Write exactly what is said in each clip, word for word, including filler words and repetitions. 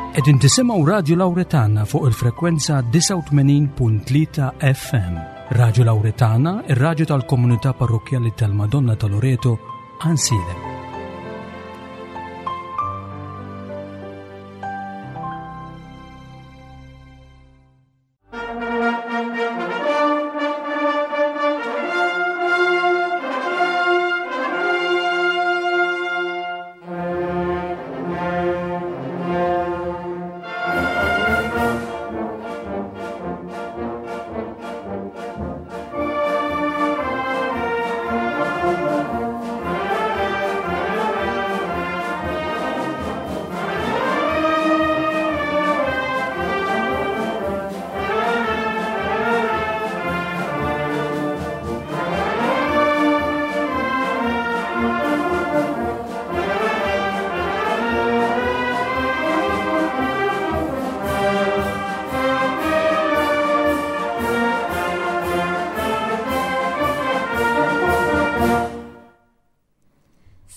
Qegħdin tisimgħu Radio Lauretana fuq il-frekwenza disgħa u tmenin punt tlieta F M. Radio Lauretana, ir-radju tal-komunità parrokkjali tal-Madonna ta' Loreto, Għajnsielem.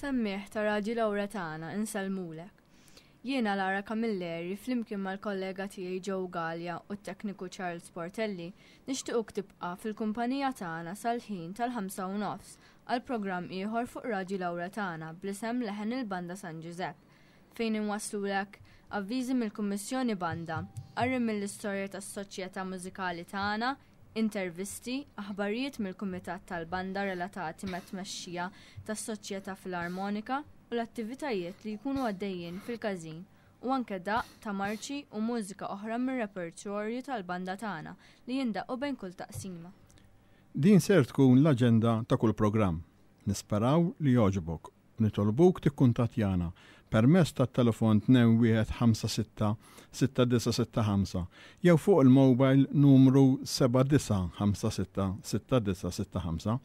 Semmiegħ ta' Radju Lauretana, insellmulek. Jiena Lara Camilleri, flimkien mal-kollega tiegħi Joe Gallia u t-tekniku Charles Portelli, nixtiequk tibqa' fil-kumpanija tagħna sal-ħin tal-ħamsa u nofs għal programm ieħor fuq Radju Lauretana bl-isem Leħen il-Banda San Giuseppe, fejn inwaslulek avviżi mill-Kummissjoni Banda, qari mill-istorja tas-soċjetà mużikali tagħna, intervisti, aħbarijiet mill-Kumitat tal-Banda relatati ma' tmexxija tas-Soċjetà Filarmonika u l-attivitajiet li jkunu għaddejjin fil-każin, u anke daqq ta' marċi u mużika oħra mir-repertorju tal-banda tagħna li jindaqqu bejn kull taqsima. Din ser tkun l-aġenda ta' kull programm. Nisperaw li jogħġbok u nitolbuk tikkuntattjana permezz tat-telefon tnejn wieħed ħamsa sitta sitta disgħa sitta ħamsa jew fuq il-mobile numru seba' disgħa ħamsa sitta sitta disgħa sitta ħamsa.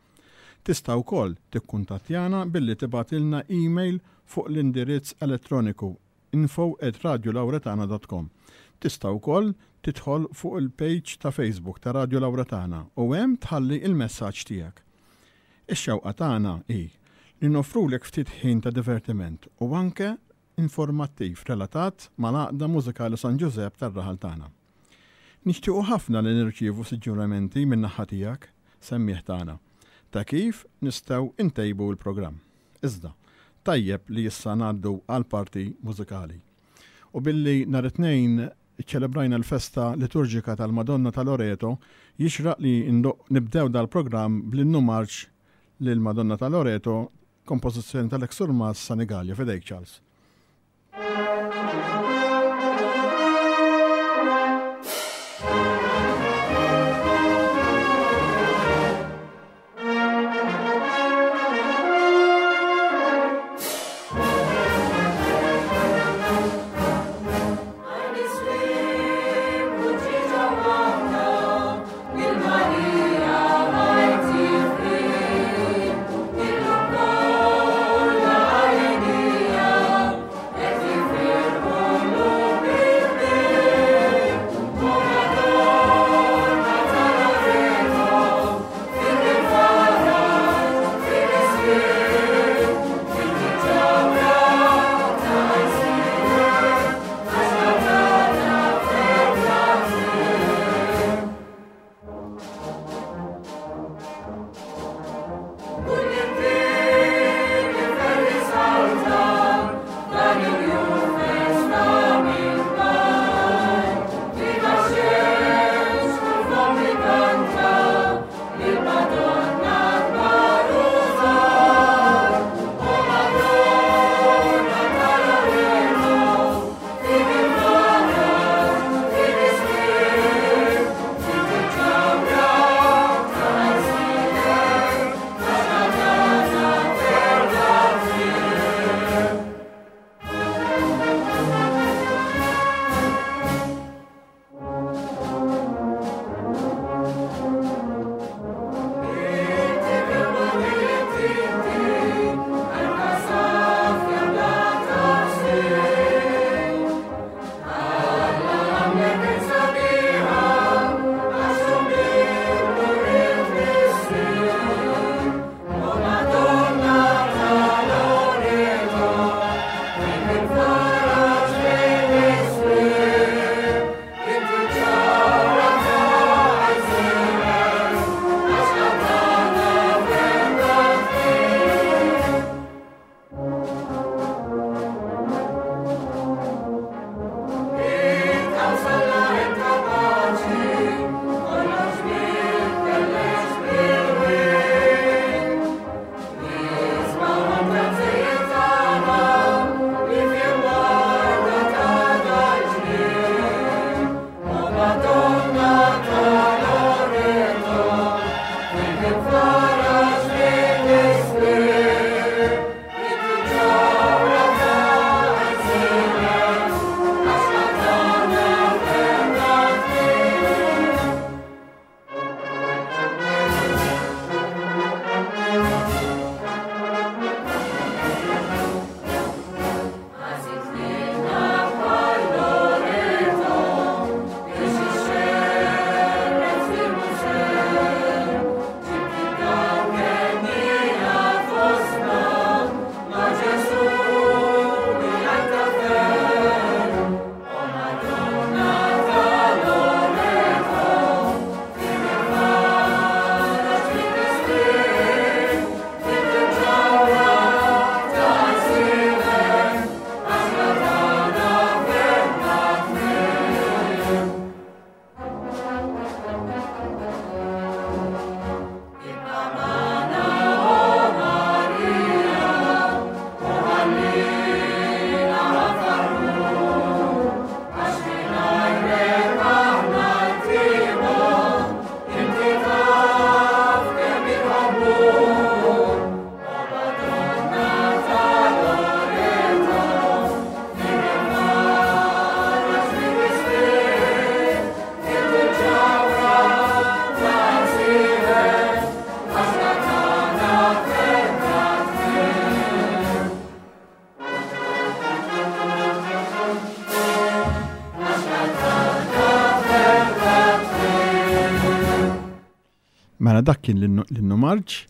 Tista' wkoll tikkuntattjana billi tibgħatilna email fuq l-indirizz elettroniku info at radiolauretana dot com. Tista' wkoll tidħol fuq il-page ta' Facebook ta' Radio Lauretana u hemm tħalli il-messaġġ tiegħek. Ix-xewqa tagħna hi li noffrulek ftit ħin ta' divertiment u anke informattiv relatat mal-Għaqda Mużikali San Giuseppe tar-raħal tagħna. Nixtiequ ħafna li nirċievu suġġerimenti minn naħa tiegħek, semmiegħ tagħna, ta' kif nistgħu intejbu l-programm. Iżda, tajjeb li issa ngħaddu għal parti mużikali. U billi nhar it-Tnejn ċelebrajna l-festa liturġika tal-Madonna ta' Loreto, jixraq li nibdew dal-programm bl-innu marċ lil Madonna ta' Loreto, kompożizzjoni tal-ex Surmast Sanigallia. F'idejk, Charles. Il-Marija. Mela dak kien l-innu marċ.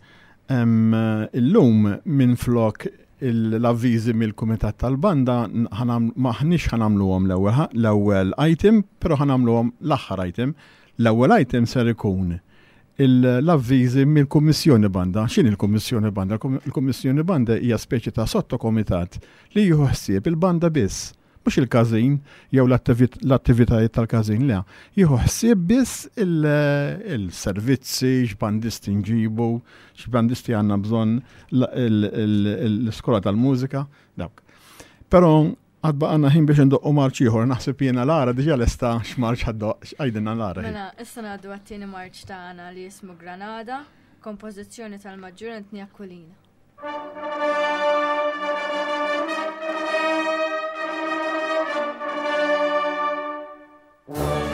Illum minn flok l-avviżi mill-Kumitat tal-Banda maħniex ħa nagħmluhom l-ewwel item, però ħa nagħmluhom l-aħħar item. L-ewwel item ser ikun l-avviżi mill-Kummissjoni Banda. X'inhi l-Kummissjoni Banda? Il-Kummissjoni Banda hija speċi ta' sottokomitat li jieħu ħsieb il-banda biss, mhux il-każin jew l-attivitajiet tal-każin, le. Jieħu ħsieb biss il-servizzi, x'bandisti nġibu, x'bandisti għandna bżonn, l-iskola tal-mużika, dawk. Però għad baqgħalna ħin biex ndoqqu marċ ieħor, naħseb jiena Lara diġà lesta x'marċ ħa ddoqq, x'għidilna Lara. Mela, issa ngħaddu għat-tieni marċ tagħna li jismu Granada, kompożizzjoni tal-Maġġur Anthony Aquilina. Thank you.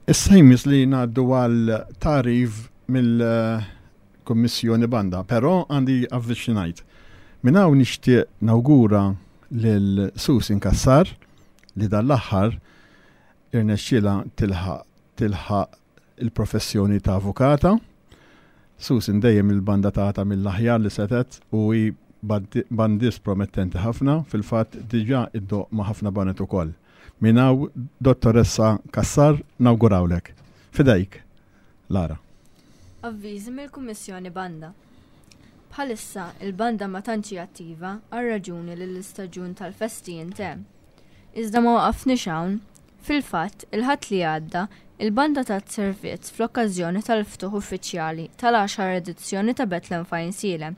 Issa jmiss li ngħaddu għal tagħrif mill-Kummissjoni Banda, però għandi avviż xi ngħid. Minn hawn nixtieq nawgura lil Susan Cassar li dan l-aħħar irnexxielha tilħaq tilħaq il-professjoni ta' avukata. Susan dejjem il-banda tagħha mill-aħjar li setet u hi bandist promettenti ħafna, fil-fatt diġà iddoqq ma' ħafna baned ukoll. Minn hawn Dottoressa Cassar nawgurawlek. Fidejk, Lara. Avviżi mill-Kummissjoni Banda. Bħalissa il-banda ma tantx hi attiva għal raġuni li l-istaġun tal-festi jintemm. Iżda ma waqafniex hawn. Fil-fatt, il-Ħadd li għadda, il-banda tat servizz fl-okkażjoni tal-ftuħ uffiċjali tal-għaxar edizzjoni ta' Bethlehem f'Għajnsielem,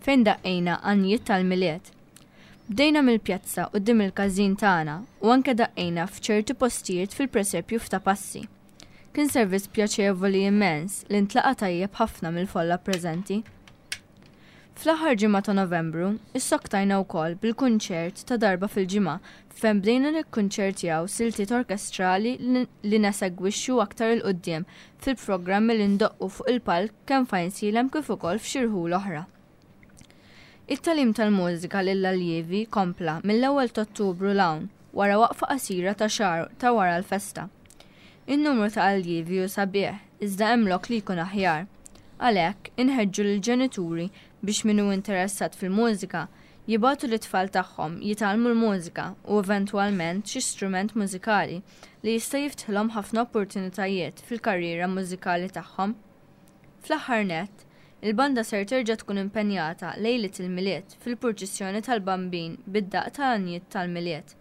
fejn daqqejna għanjiet tal-Milied. Bdejna mill-pjazza quddiem il-każin tagħna u anke daqqejna f'ċerti postijiet fil-presepju f'Ta' Passi. Kien servizz pjaċevoli immens li ntlaqa' tajjeb ħafna mill-folla preżenti. Fl-aħħar ġimgħa ta' Novembru, issoktajna wkoll bil-kunċert ta' darba fil-ġimgħa fejn bdejna nikkunċertjaw siltiet orkestrali li nesegwixxu aktar 'il quddiem fil-programmi li ndoqqu fuq il-palk kemm f'Għajnsielem kif ukoll f'xi rħul oħra. It-tagħlim tal-mużika lill-aljievi kompla mill-ewwel ta' Ottubru 'l hawn wara waqfa qasira ta' xahar ta' wara l-festa. In-numru ta' aljievi hu sabiħ, iżda hemm lok li jkun aħjar. Għalhekk, inħeġġu lill-ġenituri biex min hu interessat fil-mużika jibagħtu lit-tfal tagħhom jitgħallmu l-mużika u eventwalment xi strument mużikali li jista' jiftħilhom ħafna opportunitajiet fil-karriera mużikali tagħhom. Fl-aħħar nett, il-banda ser terġa' tkun impenjata lejliet il-Milied fil-purċissjoni tal-Bambin bid-daqq tal-għanjiet tal-Milied.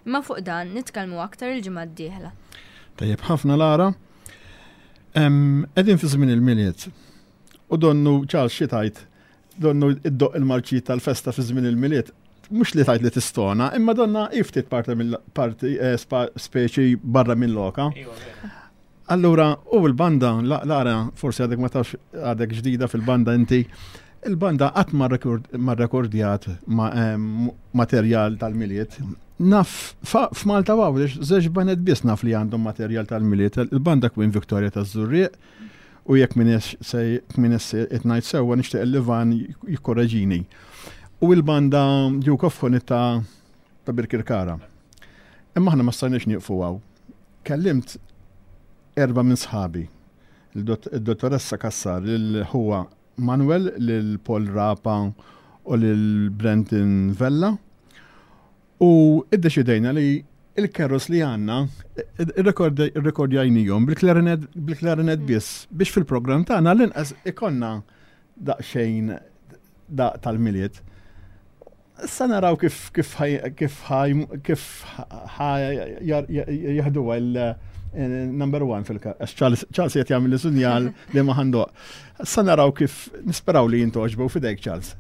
Imma fuq dan nitkellmu aktar il-ġimgħa d-dieħla. Tajjeb ħafna Lara. Qegħdin fi żmien il-Milied. U donnu Charles xi tgħid, donnu iddoqq il-marċi tal-festa fi żmien il-Milied, mhux li tgħid li tistona, imma donna hi ftit parti mill-parti eh, speċi barra minn loka. Allura, u l-banda, Lara, forsi għadek ma tafx għadek ġdida fil-banda inti, il-banda qatt ma rekordjat materjal tal-Milied. Naf, f'Malta Għawdex, żewġ baned biss naf li għandhom materjal tal-Milied, il-banda Queen Victoria taż-Żurrieq, u jekk m'iniex qed ngħid sewwa nixtieq li Van jikkoreġini. U l-banda Duke of Honey ta' ta' Birkirkara. Imma aħna ma stajniex nieqfu hawn. Kellimt erba' minn sħabi, il-dottoressa Cassar, lil ħuwa Manuel, lil Paul Rapa u lil Brenton Vella, u iddeċidejna li il-carols li għandna irrekordjajnihom bil-klarinet bil-klarinet biss biex fil-programm tagħna l-inqas ikollna daqsxejn daqq tal-Milied. Issa naraw kif kif kif kif jaħduha il-number one fil-każ. Charles qed jagħmel sinjal li ma ħandoq. Issa naraw kif nisperaw li jintgħoġbu f'idejk Charles.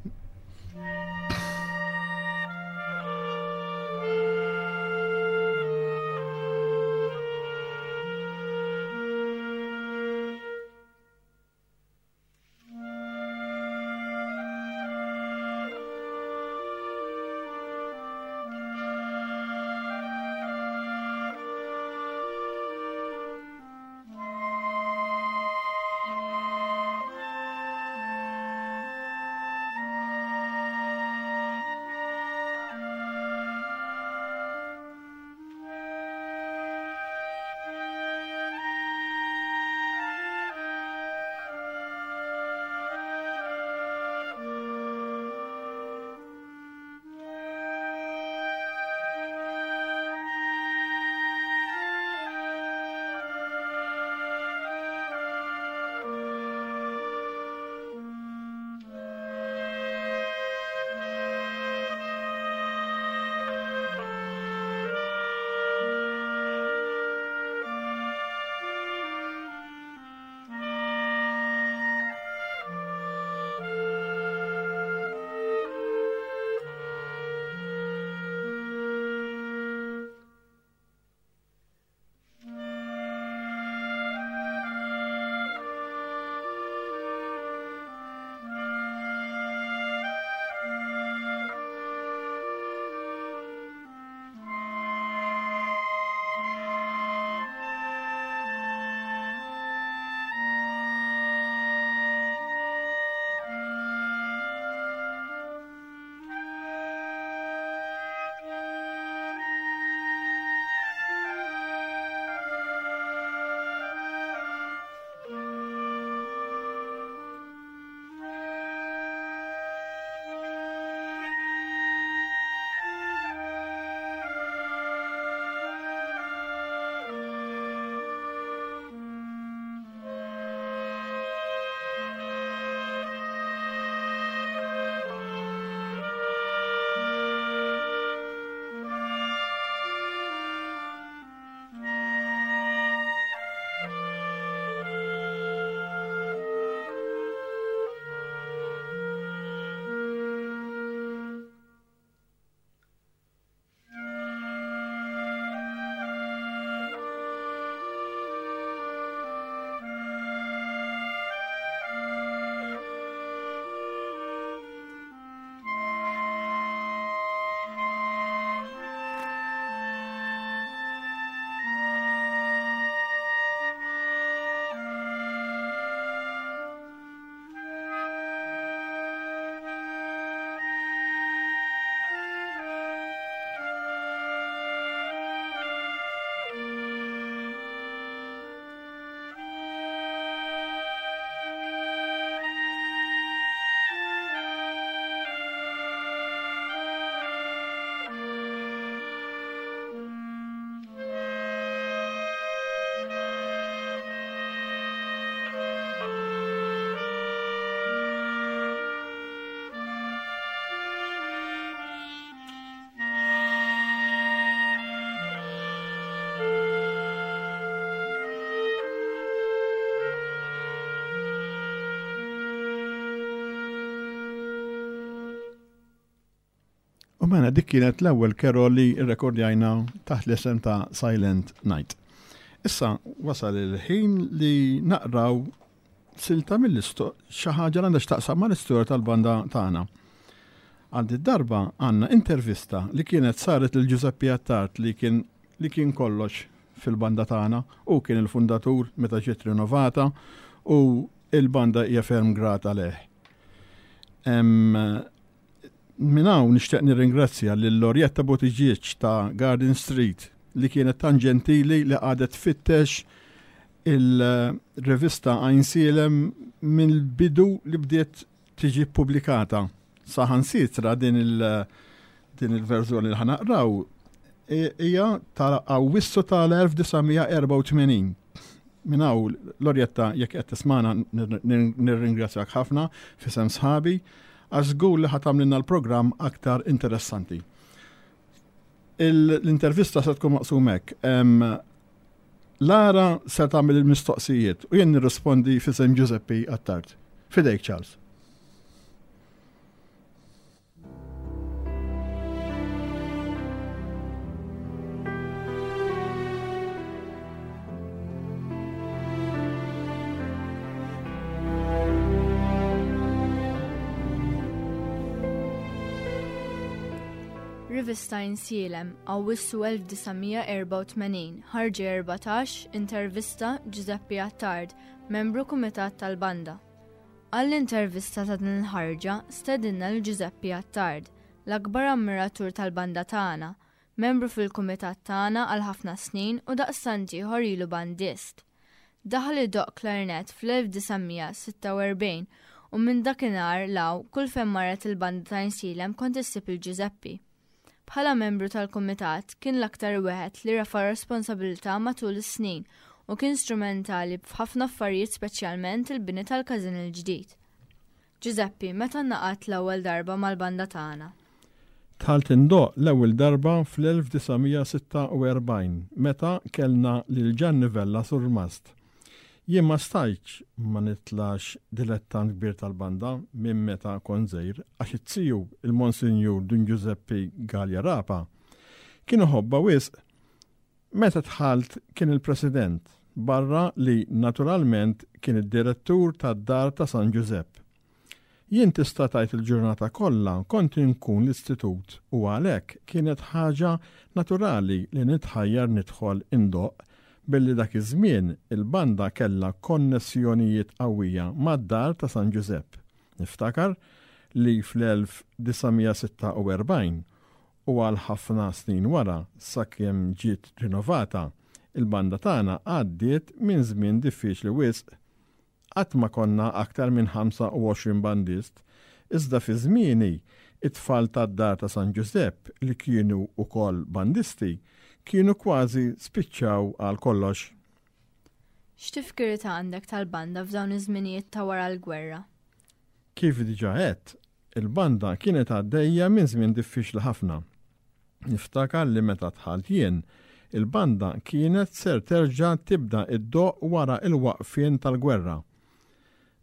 U mela dik kienet l-ewwel carol li rrekordjajna taħt l-isem ta' Silent Night. Issa wasal il-ħin li naqraw silta mill-isto xi ħaġa li għandha x'taqsam mal-istorja tal-banda tagħna. Għal darba għandna intervista li kienet saret lil Giuseppe Attard li kien li kien kollox fil-banda tagħna u kien il-fundatur meta ġiet rinnovata u il-banda hija ferm grata leh. Minn hawn nixtieq nirringrazzja lil Loretta Buttigieg ta' Garden Street li kienet tan ġentili li qagħdet tfittex il-rivista Għajnsielem mill-bidu li bdiet tiġi pubblikata. Saħansitra din il- din il-verżjoni li ħa naqraw hija ta' Awwissu tal-elf disa' mija erbgħa u tmenin. Minn hawn, Loretta, jekk qed tismana, nirringrazzjak ħafna f'isem sħabi għax żgur li ħa tagħmlilna l-programm aktar interessanti. L-intervista se tkun maqsum hekk. Lara se tagħmel il-mistoqsijiet u jien nirrispondi f'isem Giuseppe Attard. F'idejk, Charles. Rivista Għajnsielem, Awwissu elf disa' mija erbgħa u tmenin, ħarġa erbatax, intervista Giuseppe Attard, membru kumitat tal-banda. Għall-intervista ta' din il-ħarġa stedinna lil Giuseppe Attard, l-akbar ammiratur tal-banda tagħna, membru fil-kumitat tagħna għal ħafna snin u daqstant ieħor ilu bandist. Daħal idoqq klarinet fl-elf disa' mija sitta u erbgħin u minn dakinhar 'l hawn kull fejn marret il-banda ta' Għajnsielem kont issib lil Giuseppe. Bħala membru tal-kumitat kien l-aktar wieħed li refa' responsabilità matul is-snin u kien strumentali f'ħafna affarijiet, speċjalment il-bini tal-każin il-ġdid. Giuseppe, meta ngħaqadt l-ewwel darba mal-banda tagħna? Dħalt indoqq l-ewwel darba fl-elf disa' mija sitta u erbgħin meta kellna lil Gianni Vella surmast. Jien ma stajtx ma nitlax dilettant kbir tal-banda minn meta kont żgħir għax it-tiju, il-Monsinjur Dun Giuseppe Gallia Rapa, kien iħobbha wisq. Meta dħalt kien il-president, barra li naturalment kien id-direttur tad-dar ta' San Giuseppe. Jien tista' tgħid il-ġurnata kollha kont inkun l-istitut u għalhekk kienet ħaġa naturali li nitħajjar nidħol indoqq billi dak iż-żmien il-banda kellha konnessjonijiet qawwija mad-dar ta' San Giuseppe. Niftakar li fl-elf disa' mija sitta u erbgħin u għal ħafna snin wara sakemm ġiet rinnovata, il-banda tagħna għaddiet minn żmien diffiċli wisq. Qatt ma konna aktar minn ħamsa u għoxrin bandist, iżda fi żmieni it-tfal tad-dar ta' San Giuseppe li kienu wkoll bandisti kienu kważi spiċċaw għal kollox. X'tifkiriet għandek tal-banda f'dawn iż-żminijiet ta' wara l-gwerra? Kif diġà għedt, il-banda kienet għaddejja minn żmien diffiċli ħafna. Niftakar li meta dħalt jien, il-banda kienet ser terġa' tibda iddoqq wara il-waqfien tal-gwerra.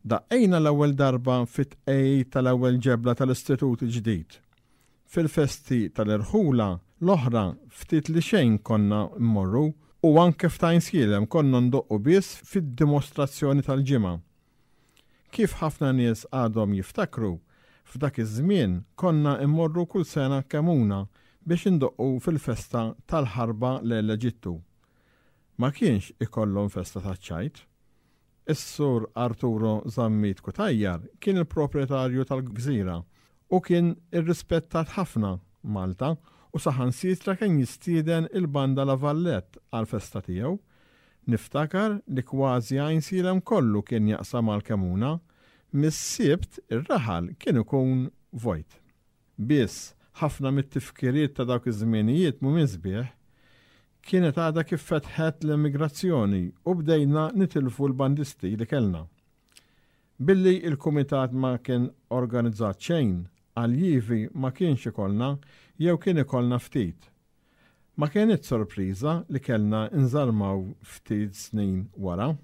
Daqqejna l-ewwel darba fit-tqegħid tal-ewwel ġebla tal-Istitut il-ġdid. Fil-festi tal-irħula l-oħra ftit li xejn konna mmorru u anke f'Għajnsielem konna ndoqqu biss fid-dimostrazzjoni tal-ġimgħa. Kif ħafna nies għadhom jiftakru, f'dak iż-żmien konna immorru kull sena Kemmuna biex indoqqu fil-festa tal-ħarba l-Eġittu. Ma kienx ikollhom festa taċ-ċajt. Is-sur Arturo Zammit Cutajar kien il-proprjetarju tal-gżira u kien irrispettat ħafna Malta u saħansitra kien jistieden il-banda La Vallette għal-festa tiegħu. Niftakar li kważi Għajnsielem kollu kien jaqsam għal Kemmuna, mis-Sibt ir-raħal kien ikun vojt. Biss, ħafna mit-tifkiriet ta' dawk iż-żminijiet mhumiex sbieħ. Kienet għadha kif fetħet l-emigrazzjoni u bdejna nitilfu l-bandisti li kellna. Billi il-kumitat ma kien organizzat xejn, aljievi ma kienx ikollna jew kien ikollna ftit. Ma kienet sorpriża li kellna nżarmaw ftit snin wara.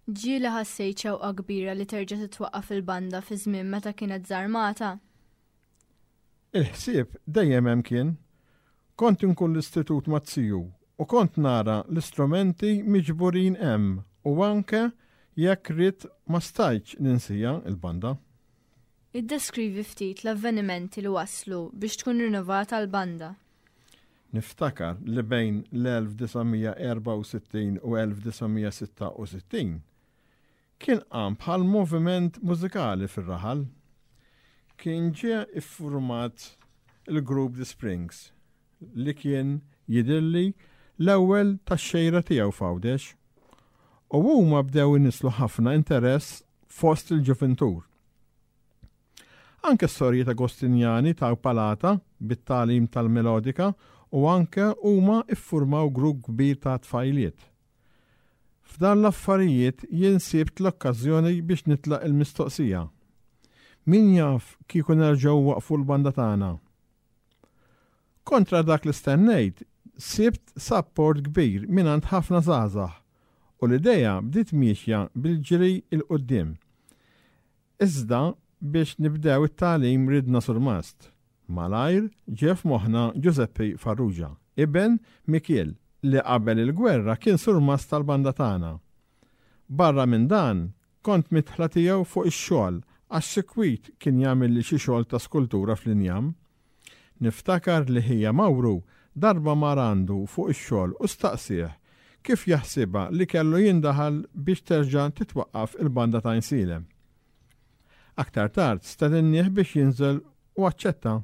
Ġieli ħassejt xewqa kbira li terġa' titwaqqaf il-banda fi żmien meta kienet żarmata? Il-ħsieb dejjem hemm kien. Kont inkun l-istitut maz-ziju u kont nara l-istrumenti miġburin hemm u anke jekk ridt ma stajtx ninsieha il-banda. Iddeskrivi ftit l-avvenimenti li waslu biex tkun rinnovata l-banda. Niftakar li bejn l-elf disa' mija erbgħa u sittin u elf disa' mija sitta u sittin kien qam bħal moviment mużikali fir-raħal. Kien ġie iffurmat il-grupp The Springs li kien jidhirli l-ewwel tax-xejra tiegħu f'Għawdex. U huma bdew inislu ħafna interess fost il-ġuventur. Anke s-sorji ta' Agostinjani ta' Palata bit-tagħlim tal-melodika u anke huma iffurmaw grupp kbir ta' tfajliet. F'dan l-affarijiet jien sibt l-okkażjoni biex nitlaq il-mistoqsija. Min jaf kieku nerġgħu waqfu l-banda tagħna? Kontra dak li stennejt, sibt support kbir mingħand ħafna żgħażagħ u l-idea bdiet miexja bil-ġiri il-qudiem. Iżda biex nibdew it-tagħlim ridna surmast. Malajr ġie f'moħħna Giuseppe Farrugia, iben Mikiel, li qabel il-gwerra kien surmast tal-banda tagħna. Barra minn dan, kont mitħla tiegħu fuq ix-xogħol għax sikwit kien jagħmel li xi xogħol ta' skultura fl-injam. Niftakar li ħija Mawru darba mar għandu fuq ix-xogħol u staqsih kif jaħsibha li kellu jindaħal biex terġa' titwaqqaf il-banda ta' Għajnsielem. Aktar tard stedinnieh biex jinżel u aċċetta.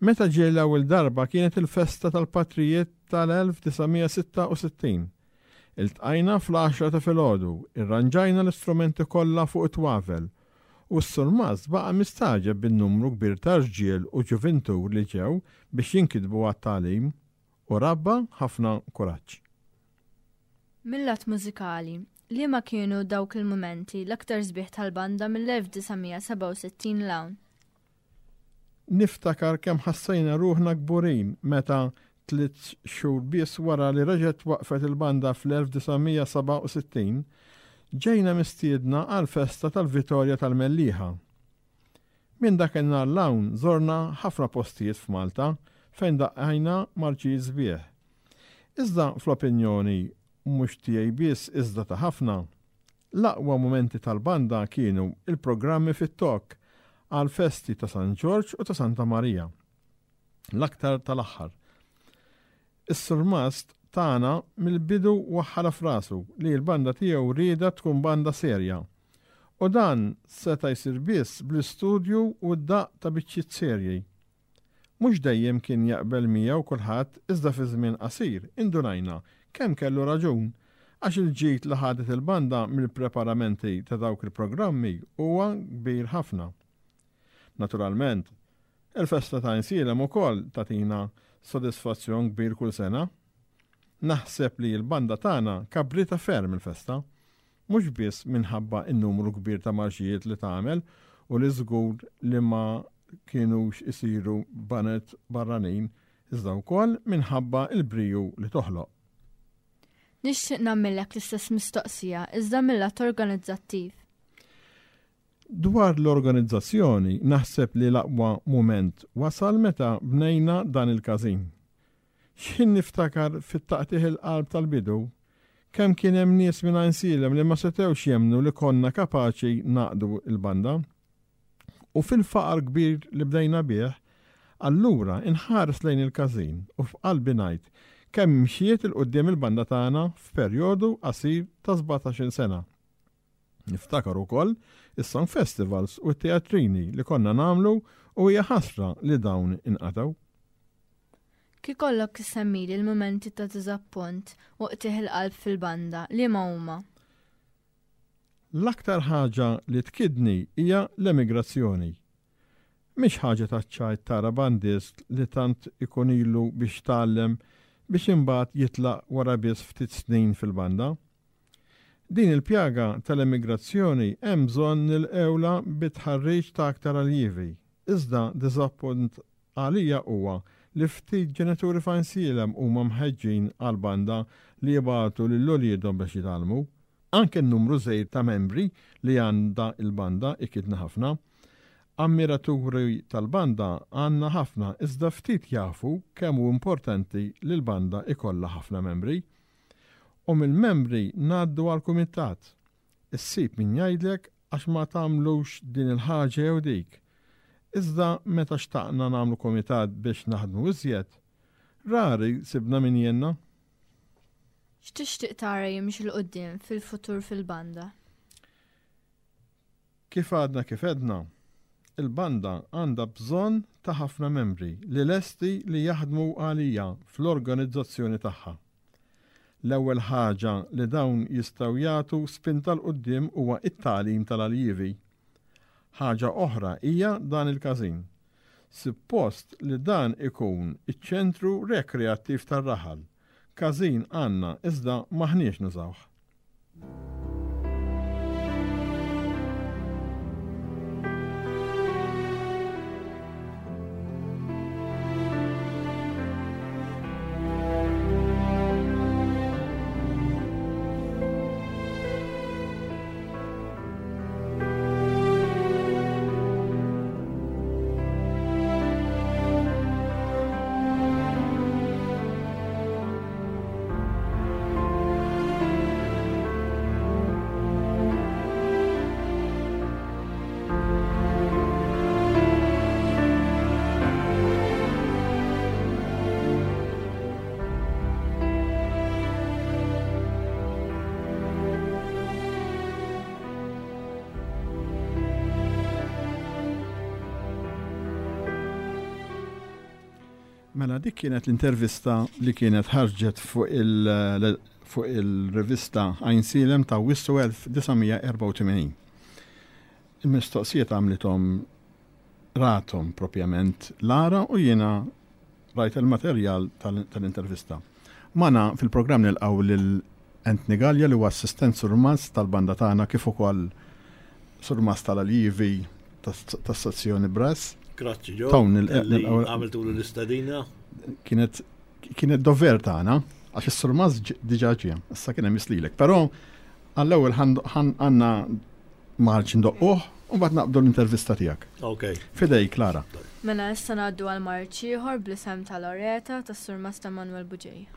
Meta ġie l-ewwel darba kienet il-festa tal-patrijiet tal-elf disa' mija sitta u sittin. Iltqajna fl-għaxra ta' filgħodu, irranġajna l-istrumenti kollha fuq it-twavel u s-surmast baqa' mistaġeb bin-numru kbir ta' rġiel u ġuvintur li ġew biex jinkitbu għat-tagħlim u rabba ħafna kuraġġ. Mil-lat mużikali, liema kienu dawk il-mumenti l-aktar sbieħ tal-banda mill-elf disa' mija sebgħa u sittin 'l hawn? Niftakar kemm ħassejna ruħna kburin meta tliet xhur biss wara li reġgħet waqfet il-banda fl-elf disa' mija sebgħa u sittin, ġejna mistiedna għal festa tal-Vitorja tal-Mellieħa. Minn dak in-nhar 'l hawn żorna ħafna postijiet f'Malta fejn daqqajna marċijiet sbieħ. Iżda fl-opinjoni mhux tiegħi biss iżda ta' ħafna, l-aqwa mumenti tal-banda kienu il-programmi fit-Tokk għal festi ta' San Ġorġ u ta' Santa Marija. L-aktar tal-aħħar. Is-surmast tagħna mill-bidu waħħala f'rasu li l-banda tiegħu rieda tkun banda serja. U dan seta' jsir biss bl-istudju u d-daqq ta' biċċiet serji. Mhux dejjem kien jaqbel miegħu kulħadd iżda fi żmien qasir indunajna kemm kellu raġun għax il-ġid li ħadet il-banda mill-preparamenti ta' dawk il-programmi huwa kbir ħafna. Naturalment, il-festa ta' Għajnsielem ukoll tagħtina sodisfazzjon kbir kull sena. Naħseb li l-banda tagħna kabrita ferm il-festa, mhux biss minħabba n-numru kbir ta' marxijiet li tagħmel u li żgur li ma kienux isiru banet barranin, iżda wkoll minħabba l-briju li toħloq. Nixtieq nagħmellek l-istess mistoqsija iżda mill-lat organizzattiv. Dwar l-organizzazzjoni naħseb li l-aqwa mument wasal meta bnejna dan il-każin. X'ħin niftakar fit-taqtigħ il-qalb tal-bidu, kemm kien hemm nies minn Għajnsielem li ma setgħux jemmnu li konna kapaċi naqdu l-banda. U fil-faqar kbir li bdejna bih, allura inħares lejn il-każin u f'qalbi ngħid kemm mxiet il quddiem il-banda tagħna f'perjodu qasir ta' sbatax-il sena. Niftakar ukoll is-song festivals u t-teatrini li konna nagħmlu u hija ħasra li dawn inqatgħu. Kif ikollok issemmili l-mumenti ta' diżappunt u qtigħ il-qalb fil-banda, liema huma? L-aktar ħaġa li tkidni hija l-emigrazzjoni. Mhix ħaġa taċ-ċajt tara bandist li tant ikun ilu biex tgħallem biex imbagħad jitlaq wara biss ftit snin fil-banda. Din il-pjaga tal-emigrazzjoni hemm bżonn nilqewla bitħarriġ ta' aktar aljievi. Iżda diżappunt għalija huwa li ftit ġenituri f'Għajnsielem huma mħeġġin għall-banda li jibgħatu lil uliedhom biex jitgħallmu. Anke n-numru żgħir ta' membri li għandha il-banda ikidna ħafna. Ammiraturi tal-banda għandna ħafna iżda ftit jafu kemm hu importanti li l-banda ikollha ħafna membri. U mill-membri ngħaddu għall-kumitat. Issib min jgħidlek għax ma tagħmlux din il-ħaġa jew dik. Iżda meta xtaqna nagħmlu kumitat biex naħdmu iżjed, rari sibna min jenna. X'tixtieq tara jimxi 'l quddiem fil-futur fil-banda? Kif għadna kif għedna, il-banda għandha bżonn ta' ħafna membri li lesti li jaħdmu għalija fl-organizzazzjoni tagħha. L-ewwel ħaġa li dawn jistgħu jagħtu spinta 'l quddiem huwa it-tagħlim tal-aljivi. Ħaġa oħra hija dan il-każin. Suppost li dan ikun iċ-ċentru rekreattiv tar-raħal. Każin għandna iżda m'aħniex nużawh. Mela dik kienet l-intervista li kienet ħarġet fuq il- fuq il-rivista Għajnsielem ta' Awwissu elf disa' mija erbgħa u tmenin. Il-mistoqsijiet għamlithom ratom propjament Lara u jiena rajt il-materjal tal-, tal-intervista. Mana fil-programm nilqgħu lil Anthony Gallia li huwa assistent surmast tal-banda tagħna kif ukoll surmast tal-aljivi tas-, tas-sezzjoni Brass. Grazzi, Ġo. Tawn il- Li il- għamiltu l-istadina. Kienet, kienet dover tagħna, għax is-surmast ġ-, diġà ġie, issa kien hemm islilek. Però għall-ewwel ħan-, ħan-, għandna marċ ndoqquh u mbagħad naqbdu l-intervista tiegħek. Ok. Fidej, Klara. Mela issa ngħaddu għal marċ ieħor bl-isem ta' Loreta tas-surmast ta' Manuel Bugeja.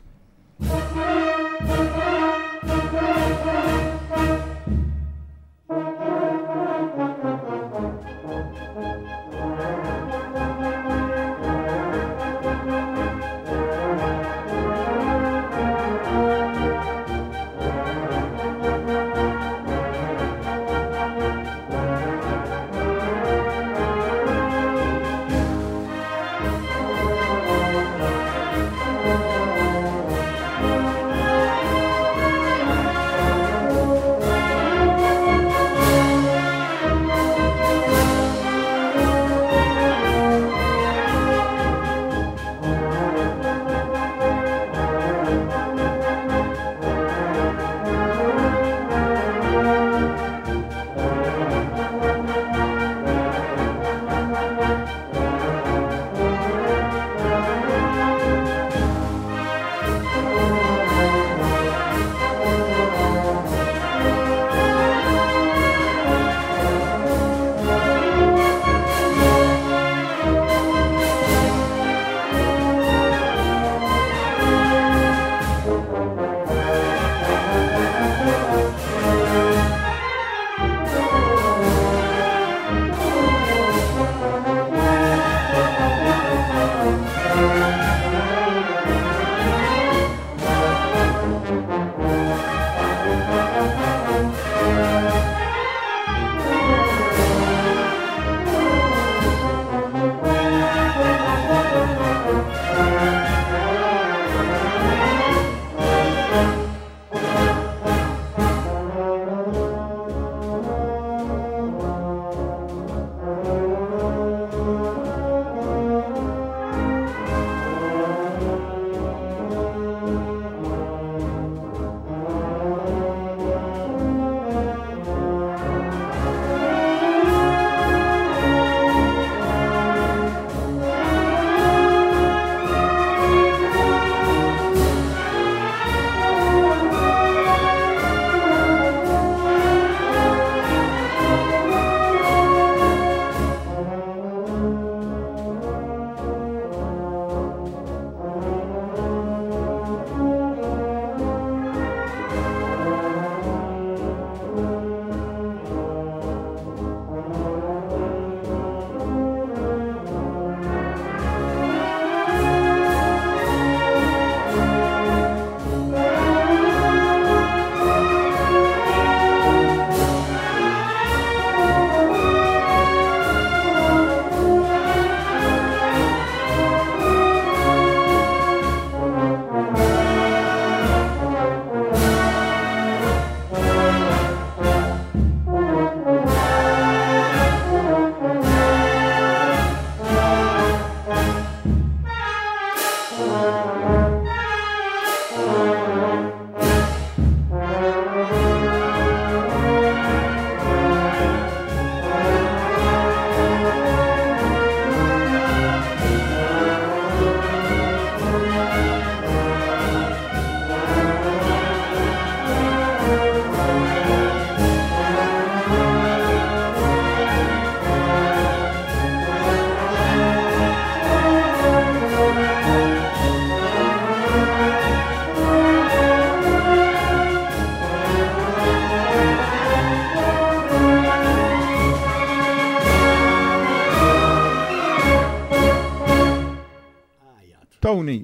Tony,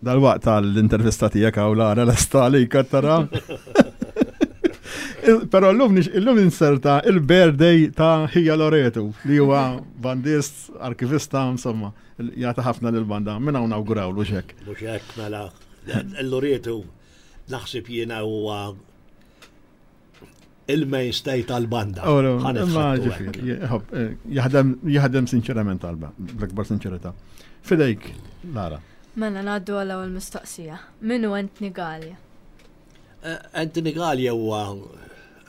dal-waqt tal-intervista tiegħek hawn Lara lesta li tara. Però llum illum inserta il-birthday ta' Ħija Loreto li huwa bandist, arkivista, insomma, jagħti ħafna lill-banda. Minn hawn nawgurawlu xek. Mhux hekk mela. Il-Loreto naħseb jiena huwa il-mainstay tal-banda. Eh, jaħdem jaħdem sinċerament talba, bl-akbar sinċerità. Fidejk, Lara. Mela ngħaddu għal ewwel mistoqsija. Min hu Anthony Galea? Eh, Anthony Galea huwa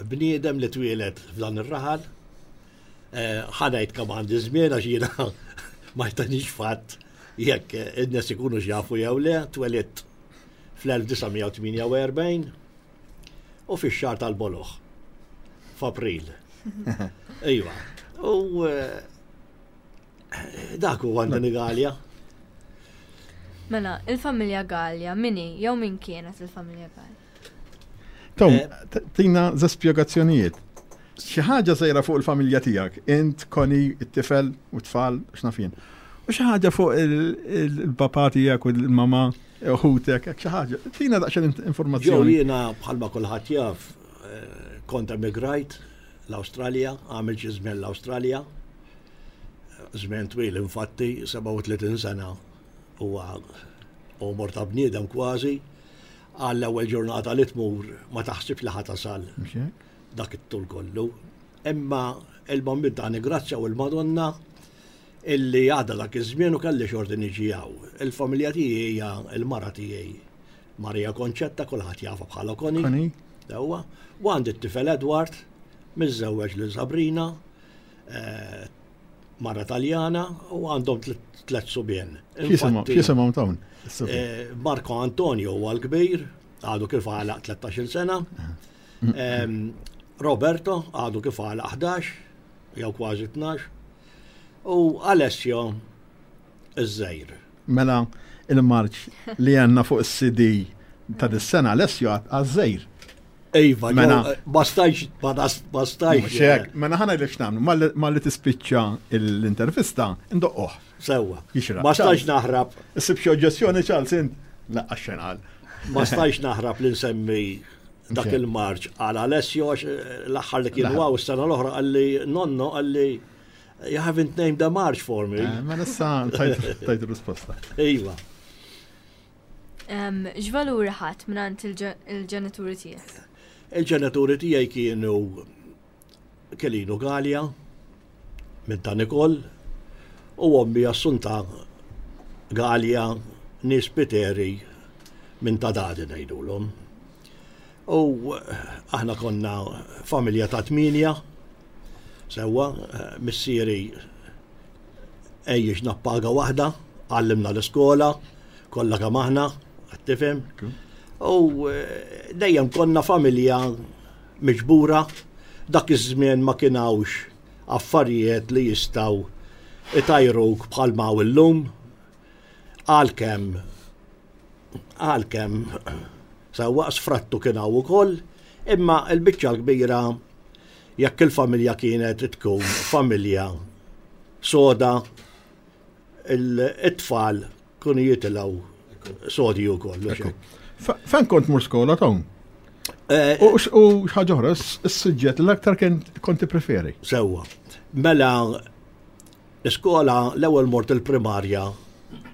bniedem li twieled f'dan ir-raħal. Eh, ħa ngħid kemm għandi żmien għax jiena ma jtanix fatt jekk in-nies ikunu jafu jew le, twelidt fl-elf disa' mija u tmienja u erbgħin u fix-xahar tal-boloħ f'April. Iva. U eh, dak huwa Anthony Galea. Mela, il-familja Galea, min hi, jew min kienet il-familja Galea? Tom, eh, tina ze spjegazzjonijiet. Xi ħaġa żgħira fuq il-familja tiegħek, int, Koni, it-tifel u tfal, x'naf jien. U xi ħaġa fuq il-papà tiegħek u l-mama, ħutek, xi ħaġa. Tina daqsxejn informazzjoni. Ġew jiena bħalma kulħadd jaf, eh, kont emigrajt l-Awstralja, għamil xi żmien l-Awstralja. Żmien twil infatti, sebgħa u tletin sena huwa għomor ta' bniedem kważi. Għall-ewwel ġurnata li tmur ma taħsibx li ħa tasal dak it-tul kollu. Imma il-Bambin ta' grazzja u l-Madonna illi għadda dak iż-żmien u kelli xorti niġi hawn. Il-familja tiegħi hija il-mara tiegħi Maria Konċetta, kulħadd jafa bħala Koni. Koni. Sewwa. U għandi t-tifel Edward, miżżewweġ lil Sabrina, eh, mara Taljana, u għandhom tliet subien. X'jisimhom dawn? Eh, Marco Antonio huwa l-kbir, għadu kif għalaq tlettax-il sena. Roberto għadu kif għalaq ħdax, jew kważi tnax. U Alessio iż-żgħir. Mela il-marċ li għandna fuq is-C D ta' dis-sena Alessio għaż-żgħir. Iva, mela ma stajx, ma stajx. Mela ħa ngħidlek x'nagħmlu, malli tispiċċa l-intervista, ndoqqoh. Sewwa. Ma stajx naħrab. Issib xi oġġezzjoni, Charles, int? Laqqa xejn qal. Ma stajx naħrab li nsemmi dak il-marċ għal Alessio għax l-aħħar li kienu hawn s-sena l-oħra qalli, "Nonno," qalli, "you haven't named the march for me." Eh, ma nissa tajt risposta. Iva. X'valuri ħadt mingħand il-ġenituri tiegħek? Il-ġenituri tiegħi kienu Kelinu Galea minn ta' Nikol u ommi Assunta Galea née Spiteri minn ta' Dadi ngħidulhom. U aħna konna familja ta' tmienja, sewwa, missieri għejjixna b'paga waħda, għallimna l-iskola, kollha kemm aħna, tifhem. U eh, dejjem konna familja miġbura, dak iż-żmien ma kien hawnx affarijiet li jistgħu itajruk bħalma hawn illum, għalkemm għalkemm sewwa sfrattu kien hawn ukoll, imma l-biċċa l-kbira jekk il-familja kienet tkun familja soda, it-tfal kunu jitilgħu sodi wkoll. Fejn kont mur skola, Tom? Eh, U xi ħaġa oħra, is-suġġett l-aktar kont preferi. Sewwa. Mela l-iskola l-ewwel mort il-primarja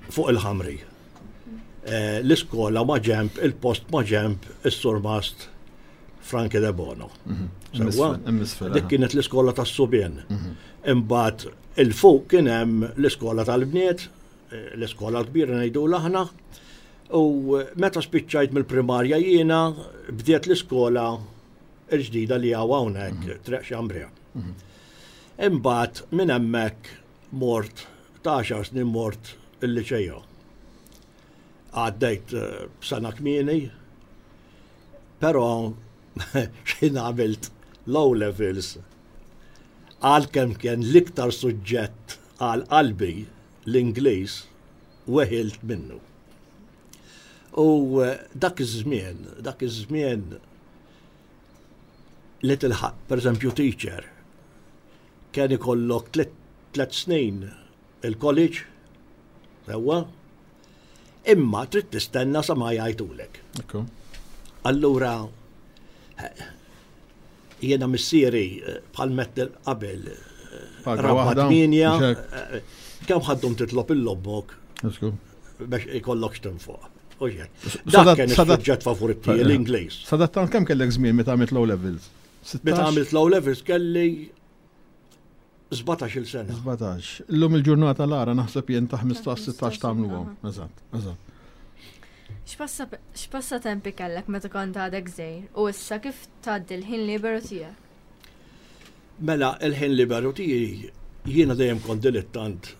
fuq il-Ħamri. Eh, l-iskola ma ġemp, il-post ma ġemp is-surmast Franki De Bono. Mhm. Sewwa, dik kienet l-iskola tas-subien. Mhm. Imbagħad il-fuq kien hemm l-iskola tal-bniet, eh, l-iskola l-kbira ngħidu aħna. U meta spiċċajt mill-primarja jiena bdiet l-iskola l-ġdida li hawn hawnhekk mhm. Triq Xambria. Imbagħad minn hemmhekk mort ta' għaxar snin mort il-liċejo. Għaddejt eh, b'sena kmieni, però x'ħin għamilt l-O levels, għalkemm kien l-iktar suġġett għal qalbi l-Ingliż, weħilt minnu. U eh, dak iż-żmien, dak iż-żmien li tilħaq, per eżempju, teacher, kien ikollok tliet snin il-college, sewwa, Imma trid tistenna sa ma jgħidulek. Allura jiena missieri eh, bħal mettel qabel eh, rabba tminja, eh, kemm ħaddum titlob il-lobbok biex ikollok x'tinfoq. Dak kien is-suġġett favorit tiegħi l-Ingliż. Sadattant kemm kellek żmien meta għamilt low levels? Meta għamilt low levels kelli sbatax-il sena. sbatax. Illum il-ġurnata l-ara naħseb jien ta' ħmistax sittax tagħmluhom. Eżatt, eżatt. X'passatempi kellek meta kont għadek żgħir u issa kif tgħaddi l-ħin liberu tiegħek? Mela, il-ħin liberu tiegħi jiena dejjem kont dilettant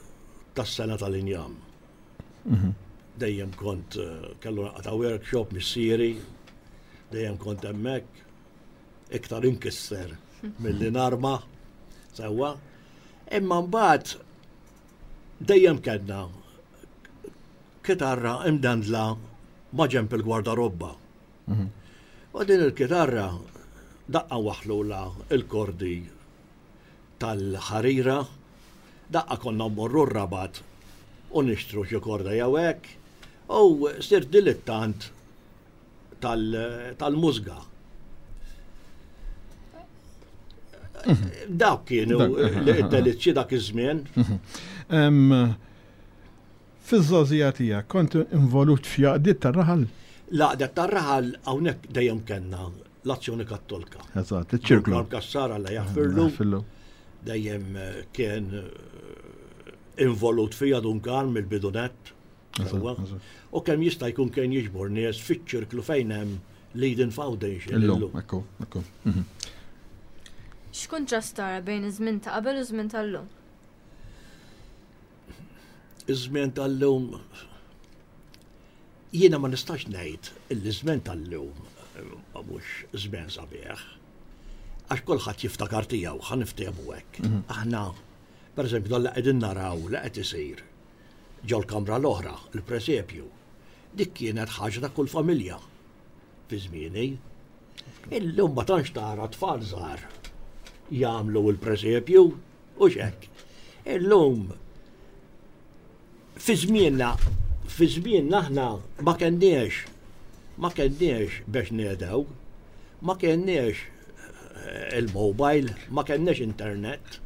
tas-sena tal-injam. Mhm. Dejjem kont eh, kellu naqta' workshop missieri, dejjem kont hemmhekk, iktar inkisser milli narma, sewwa. Imma mbagħad dejjem kellna kitarra imdandla ma' ġenb il-gwardarobba. Mhm. U din il-kitarra daqqa waħlula il-kordi tal-ħarira, daqqa konna mmorru r-Rabat u nixtru xi korda jew hekk, u sirt dilettant tal-mużga. Dawk kienu d-delizzji dak iż-żmien. Mhm. Fiż-żgħożija tiegħek kont involut f'għaqdiet tar-raħal? L-għaqdiet tar-raħal hawnhekk dejjem kellna l-Azzjoni Kattolika. Eżatt, iċ-ċirklu. Dun Cassar Alla jaħfirlu. Dejjem eh, kien eh, involut fija Dun Karm mill-bidu nett. U kemm jista' jkun kien jiġbor nies fiċ-ċirklu fejn hemm l-Eden Foundation. Illum, ekku, ekku. Mhm. X'kuntrast tara bejn iż-żmien ta' qabel u żmien tal-lum? Iż-żmien tal-lum jiena ma nistax ngħid illi żmien tal-lum eh, mhux żmien sabiħ. Għax kulħadd jiftakar tiegħu, ħa niftehmu hekk. Mhm. Aħna, pereżempju, dan li qegħdin naraw li qed isir ġol-kamra l-oħra, il-presepju. Dik kienet ħaġa ta' kull familja fi żmieni. Illum ma tantx tara tfal żgħar jagħmlu l-presepju u x'hekk. Illum fi żmienna fi żmienna aħna ma kenniex ma kenniex biex nedew, ma kenniex eh, il-mobile, ma kenniex internet.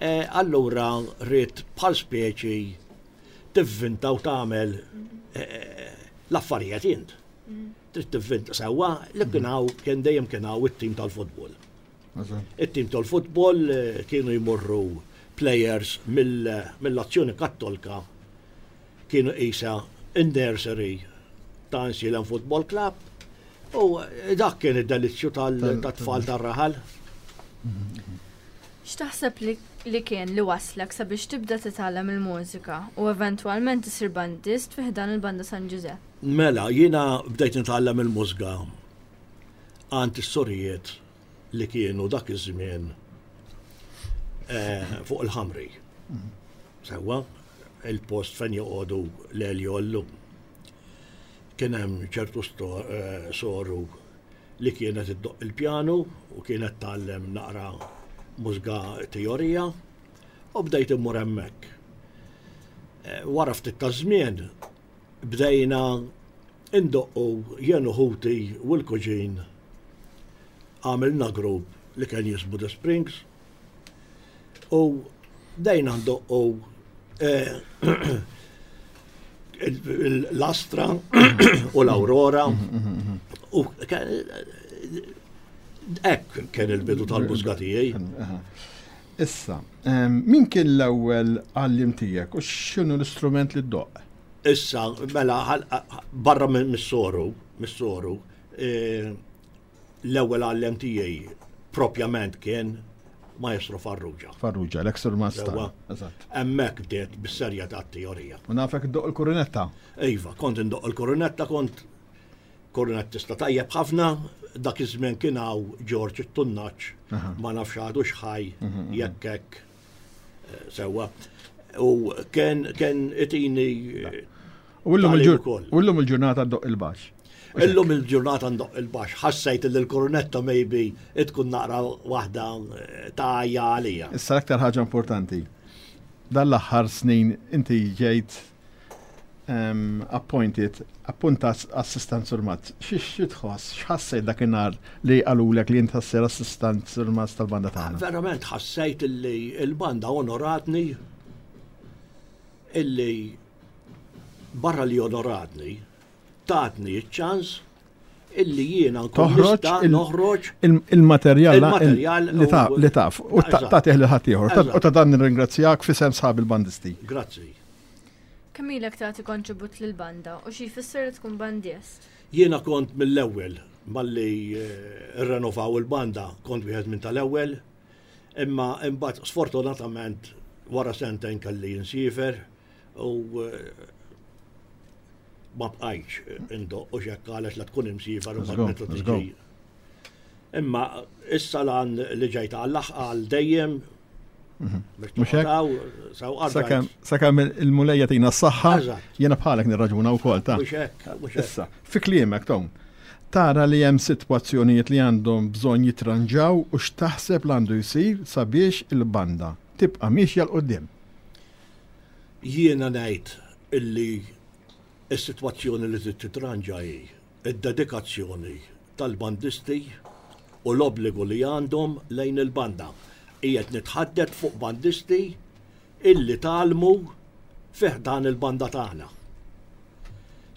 Eh, allura rrid bħal speċi tivvinta u tagħmel eh, l-affarijiet int. Trid tivvinta sewwa li kien hawn kien dejjem kien hawn it-tim tal-futbol. It-tim tal-futbol kienu jmorru players mill-Azzjoni Kattolka kienu qisha in-nursery ta' Għajnsielem Football Club u dak kien id-delizzju tat-tfal tar-raħal. X'taħseb li kien li waslek sabiex tibda titgħallem il-mużika u eventwalment isir bandist fi ħdan il-Banda San Ġużepp? Mela, jiena bdejt nitgħallem il-mużika għand is-sorijiet li kienu dak iż-żmien eh, fuq il-ħamri. Sewwa, il-post fejn joqogħdu l-Elio llum. Kien hemm ċertu eh, soru li kienet iddoqq il-pjanu u kienet tgħallem naqra mużika teorija u bdejt immur hemmhekk. Eh, wara ftit ta' żmien bdejna indoqqu jien u ħuti u l-kuġin għamilna grupp li kien jismu The Springs u bdejna ndoqqu eh, l-Astra u l-Aurora u hekk kien il-bidu tal-mużika tiegħi. Issa, min kien l-ewwel għalliem tiegħek u x'inhu l-istrument li ddoqq? Issa, mela, barra mis-soru, mis-soru, eh, l-ewwel għalliem tiegħi propjament kien Maestro Farrugia. Farrugia, l-ex master. Eżatt. Hemmhekk bdiet bis-serjetà t-teorija. U nafek iddoqq il-kurunetta? Iva, kont indoqq il-kurunetta, kont kurunnettista tajjeb ħafna, dak iż-żmien kien hawn George it-Tunnaċ, ma nafx għadux ħaj mhm, mhm. jekk hekk eh, sewwa. U kien kien itini eh, U llum il-ġurnata ddoqq il-baxx. Illum il-ġurnata ndoqq il-baxx. Ħassejt li l-korunetta maybe tkun naqra waħda eh, ta' għajja għalija. Issa l-aktar ħaġa importanti. Dan l-aħħar snin inti ġejt Appointed, appuntat assistant surmast. Xi tħoss, x'ħassejt dakinhar li qalulek li inti ssir assistant surmast tal-banda tagħna? Verament ħassejt illi l-banda onoratni, illi barra li onoratni, tatni ċ-ċans illi jiena nkun nista' noħroġ il-materjal li taf u tagħtih lil ħaddieħor. U ta' dan nirringrazzjak f'isem sħab il-bandisti. Grazzi. Kemm ilek tagħti kontribut lill-banda u xi jfisser li tkun bandist? Jiena kont mill-ewwel malli rrenovaw il-banda, kont wieħed minn tal-ewwel, imma imbagħad sfortunatament wara sentejn kelli nsiefer u ma bqajtx indoqq u x'hekk għaliex la tkun imsiefer u mbagħad meta tiġi. Imma issa lan li ġejt għall-aħħar dejjem. Sakemm il-Mulej jagħtina s-saħħa, jiena bħalek nirraġuna wkoll ta'. Issa, fi kliemek Tom, tara li hemm sitwazzjonijiet li għandhom bżonn jitranġaw u x'taħseb li għandu jsir sabiex il-banda tibqa' miexja 'l quddiem. Jiena ngħid illi s-sitwazzjoni li trid titranġa hi d-dedikazzjoni tal-bandisti u l-obbligu li għandhom lejn il-banda. Qiegħed nitħaddet fuq bandisti illi tgħallmu fi ħdan il-banda tagħna.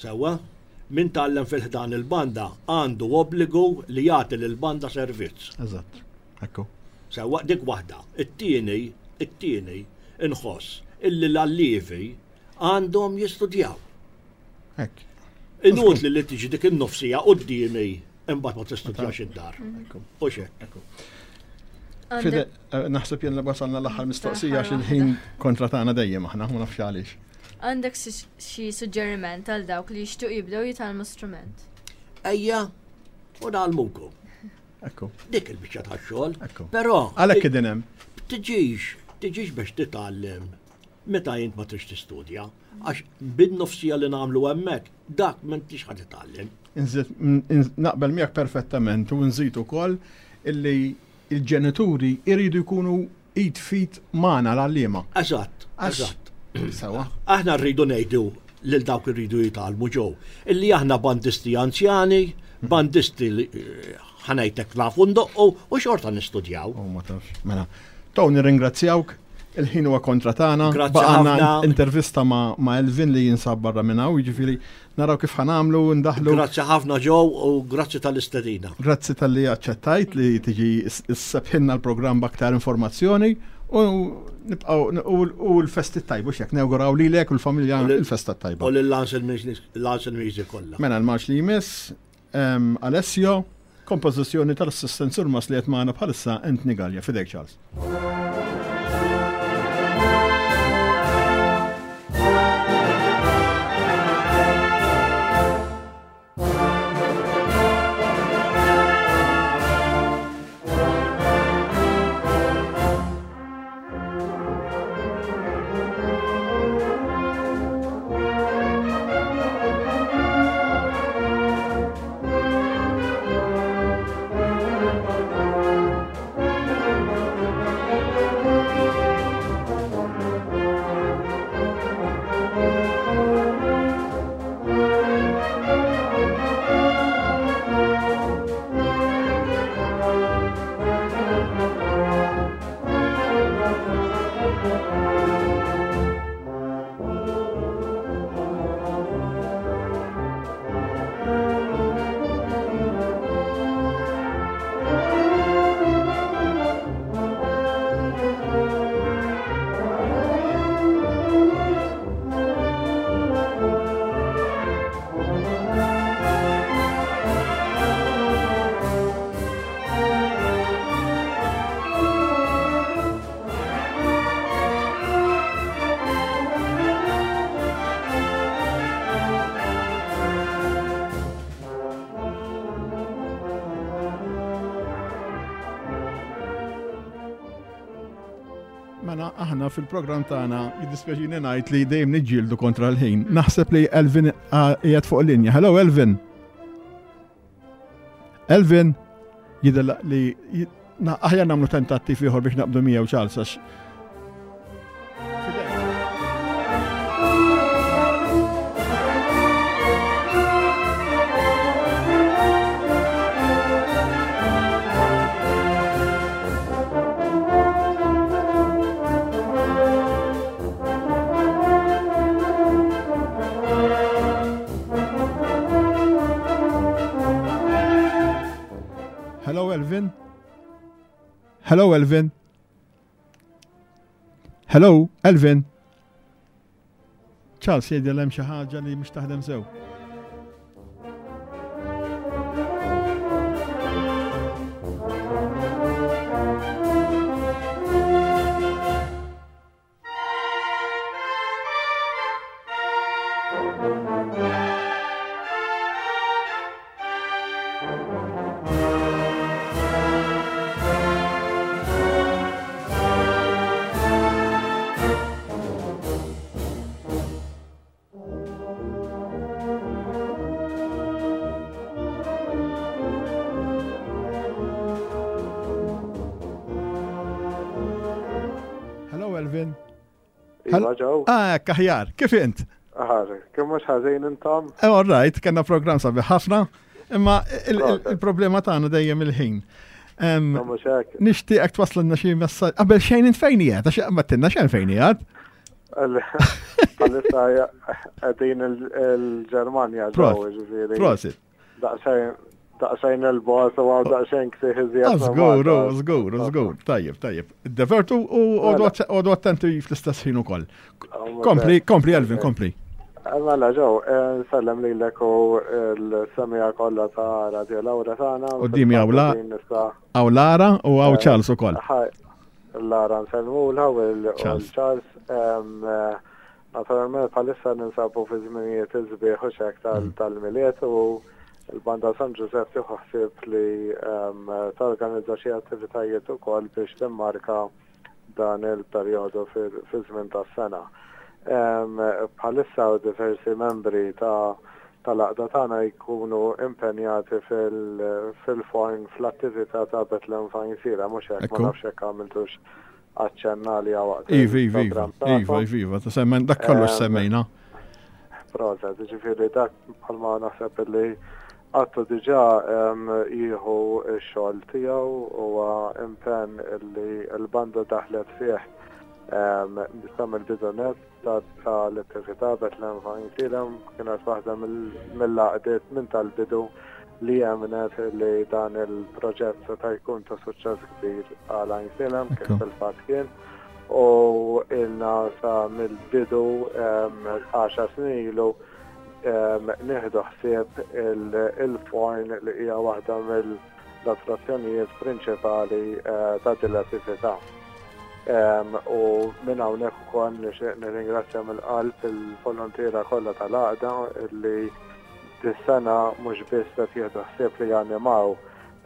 Sewwa, min tgħallem fi ħdan il-banda għandu obbligu li jagħti lill-banda servizz. Eżatt, ekku. Sewwa, dik waħda. It-tieni, it-tieni inħoss illi l-allievi għandhom jistudjaw. Hekk. Inutli li tiġi dik in-nofsija quddiemi imbagħad ma tistudjax id-dar. U x'hekk. Fide, naħseb jien li wasalna l-aħħar mistoqsija għax il-ħin kontra tagħna dejjem aħna, ma nafx għaliex. Għandek xi suġġeriment għal dawk li jixtiequ jibdew jitgħallmu strument? Ejja, u nagħlmukom. Ekku. Dik il-biċċa tax-xogħol. Però għalhekk qegħdin hemm. Tiġix, tiġix biex titgħallem meta int ma trix tistudja, għax bin-nofsija li nagħmlu hemmhekk dak m'intix ħa titgħallem. Naqbel miegħek perfettament u nżid ukoll illi il-ġenituri iridu jkunu id fit magħna l-għalliema. Eżatt, eżatt. Sewa. Aħna rridu ngħidu lil dawk irridu jitgħallmu ġew illi aħna bandisti anzjani, bandisti li ħanejtek nafu ndoqqu u xorta nistudjaw. Oh, ma tafx. Mela, Tow nirringrazzjawk, il-ħin huwa kontra tagħna. Grazzi Baqgħna ħafna. intervista ma' ma' Elvin li jinsab barra minn hawn, jiġifieri naraw kif ħanamlu ndaħlu. Grazzi ħafna ġew u grazzi tal-istedina. Grazzi tal-li aċċettajt li tiġi issebħilna l-programm b'aktar informazzjoni u nibqgħu u l-festi tajba x'hekk nawguraw lilek u l-familja l-festa tajba. U lil Music kollha. Mela l-marx li jmiss, Alessio, kompożizzjoni tal-assistent surmast li qed magħna bħalissa Anthony Gallia. Fidejk Charles. Mela aħna fil-programm tagħna jiddispjaċini ngħid li dejjem niġġieldu kontra l-ħin. Naħseb li Elvin qiegħed fuq linja. Hello Elvin. Elvin jidher li aħjar nagħmlu tentattiv ieħor biex naqbdu miegħu Charles għax Elvin. Hello, Elvin. Hello, Elvin. Charles jgħidil hemm xi ħaġa li mhux taħdem sew. Hello, Elvin. Iva ġew. Ah, kaħjar, kif int? Aħar, kemm mhux ħażin intom? Eh, all right, kellna programm sabiħ ħafna, imma il- il- Proset. il-problema tagħna dejjem il-ħin. Em, Ma mhux hekk. Nixtieqek twasslilna xi messaġġ. Qabel xejn int fejn qiegħed, għax ma tinna xejn fejn qiegħed. Għalissa qegħdin il-Ġermanja ġew, Proset. ġifieri. Prosit. Daqsxejn daqsxejn il-bogħod u għaw daqsxejn ksieħ iżjed. Ah, minn Żgur, Malta. żgur, żgur. Tajjeb, tajjeb. Divertu u Mela. għodu attenti fl-istess ħin ukoll. Ah, mhux Kompli, hekk. kompli Elvin, kompli. Mela ġew, nsellem lilek u l-semija kollha ta' Radio Lauretana. Qudiemi hawn la- Nista' Hawn Lara u hawn Eh, Charles ukoll. Ħaj, Lara nsellmulha u l- u Charles. l-Charles. Em, eh, Naturalment bħalissa ninsabu fi żminijiet iż-sbieħ u xek tal- tal-Milied u l-Banda San Giuseppe tieħu ħsieb li em, torganizza xi attivitajiet ukoll biex timmarka dan il-perjodu fil- fi żmien tas-sena. Em, Bħalissa u diversi membri ta' tal-għaqda tagħna jkunu impenjati fil- fil-forn fl-attività ta' Bethlehem f'Għajnsielem, mhux hekk ma Ekku. nafx hekk għamiltux aċċenna li waqt Iva, iva, iva, il-programm iva, tagħkom. iva, iva, ta' semmen, dak kollox Em, semmejna. Proset, ġifieri dak bħalma naħseb li għattu diġà em, jieħu x-xogħol tiegħu huwa impenn li l-banda daħlet fih em, sa mill-bidu nett ta' tal-attività Bethlehem f'Għajnsielem kienet waħda mill- mill-għaqdiet minn tal-bidu li emmnet li dan il-proġett seta' jkun ta' suċċess kbir għal Għajnsielem kif Ekku. fil-fatt kien u ilna sa mill-bidu em, għaxar snin ilu em, nieħdu ħsieb il- il-forn li hija waħda mill-attrazzjonijiet prinċipali eh, ta' din l-attività. Em, U minn hawnhekk ukoll nixtieq nirringrazzja mill-qalb il-volontiera kollha tal-għaqda li dis-sena mhux biss qed jieħdu ħsieb li janimaw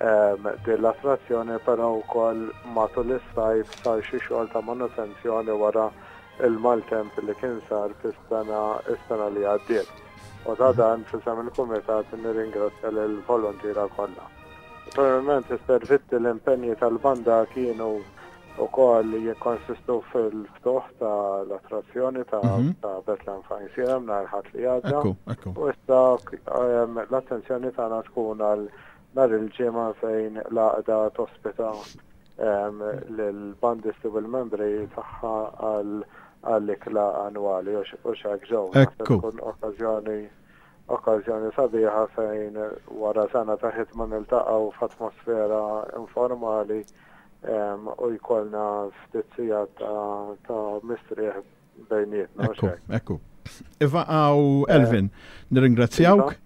em, din l-attrazzjoni, però wkoll matul is-sajf sar xi xogħol ta' manutenzjoni wara il-maltemp li kien sar fis-sena is-sena li għaddiet. U ta' dan f'isem il-kumitat nirringrazzja lill-volontiera kollha. Naturalment is-servizzi l-impenji tal-banda kienu wkoll jikkonsistu fil-ftuħ tal-attrazzjoni ta' Mhm. ta' Bethlehem f'Għajnsielem nhar Ħadd li għadda. Ekku, ekku. U issa em, l-attenzjoni tagħna tkun għal nhar il-ġimgħa fejn l-għaqda tospita em, lill-bandisti u l-membri tagħha għal għall-ikla annwali u x- u x'hekk ġew. Naħseb Ekku. tkun okkażjoni okkażjoni sabiħa fejn wara sena ta' ħidma niltaqgħu f'atmosfera informali em, u jkollna ftit sigħat ta' ta' mistrieħ bejnietna. u Ekku, x'hekk. ekku. Iva għaw Elvin, nirringrazzjawk.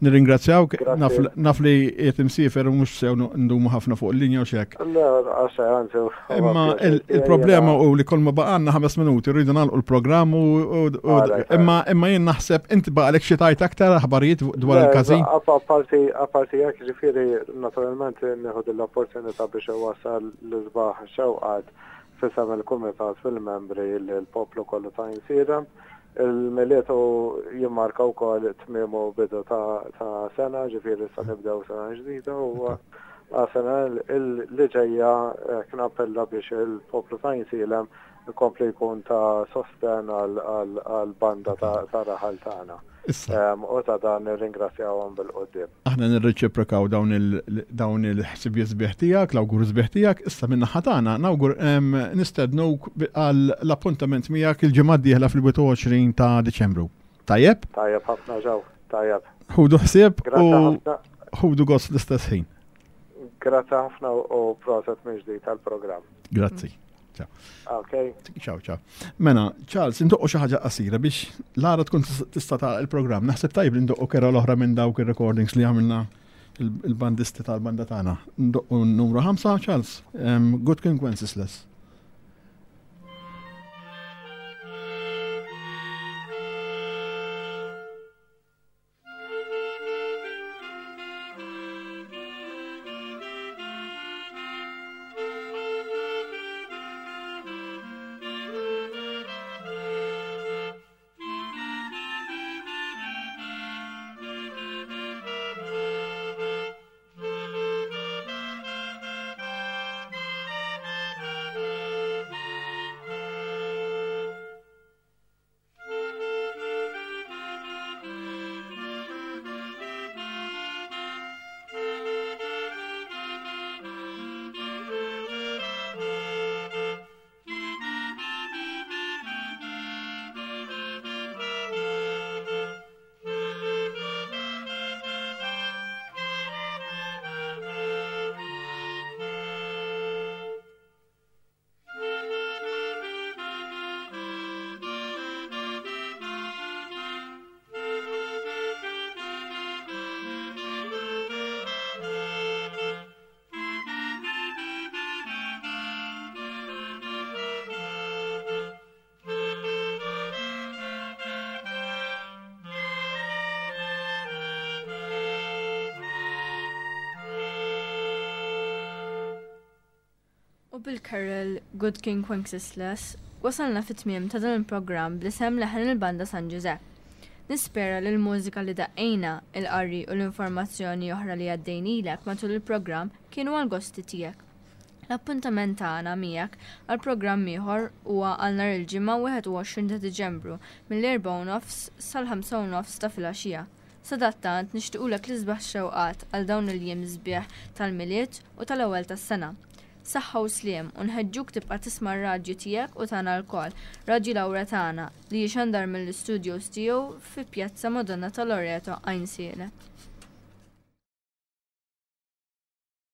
Nirringrazzjawk, Grazzi. naf- naf li qiegħed imsiefer u mhux sew ndumu ħafna fuq il-linja u xek. Le, għaxa, anzi. Imma il- il-problema u li kol ma baqanna ħames minuti rridu nagħlqu l-programm u u- u- Alright, imma imma jien naħseb inti baqalek xi tajt aktar aħbarijiet dwar il-każin. Apparti, apparti jekk ġifieri, naturalment nieħu l-opportunità biex iwassal l-isbaħ xewqat f'isem il-kumitat fil-membri l-poplu kollu ta' Għajnsielem. Il-Milied jimmarka wkoll tmiem u bidu ta' ta' sena, ġifieri sa nibdew sena ġdida u għas-sena li ġejja eh, kien appella biex il-poplu ta' Għajnsielem ikompli jkun ta' sosten għal-banda ta' ta' raħal tagħna. Issa, Em, U ta' dan nirringrazzjawhom bil-qudiem. aħna nirreċiprokaw dawn il dawn il-ħsibijiet sbieħ tiegħek, l-awgur sbieħ tiegħek, issa minn naħa tagħna nawgur em, nistednuk bi- għal l-appuntament miegħek il-ġimgħa d-dieħla fil-wieħed u għoxrin ta' Diċembru. Tajjeb? Tajjeb ħafna ġew, tajjeb. Ħudu ħsieb Grazzi u ħafna, ħudu gost fl-istess ħin. Grazzi ħafna u proset minn ġdid tal-programm. Grazzi. Ciao. Ok. Ciao, ciao. Mela, Charles, indoqqu xi ħaġa qasira biex Lara tkun tista' tagħlaq il-programm. Naħseb tajb li ndoqqu carol oħra minn dawk ir-recordings li għamilna il-bandisti tal-banda tagħna. Ndoqqu numru ħamsa, Charles. Good King Wenceslas. U bil-Carol Good King Wenceslas wasalna fit-tmiem ta' dan il-programm bl-isem Leħen il-Banda San Ġużepp. Nispera li l-mużika li daqqejna, il-qari u l-informazzjoni oħra li għaddejnilek matul il-programm kienu għal gosti tiegħek. L-appuntament tagħna miegħek għal programm ieħor huwa għal nhar il-Ġimgħa wieħed u għoxrin ta' Diċembru mill-erbgħa u nofs sal-ħamsa u nofs ta' filgħaxija. Sadattant nixtiequlek l-isbaħ xewqat għal dawn il-jiem sbieħ tal-Milied u tal-ewwel tas-sena. Saħħa u sliem u nħeġġuk tibqa' tisma' r-radju tiegħek u tagħna lkoll, Radju Lauretana, li jixandar mill-istudios tiegħu fi Pjazza Madonna ta' Loreto, Għajnsielem.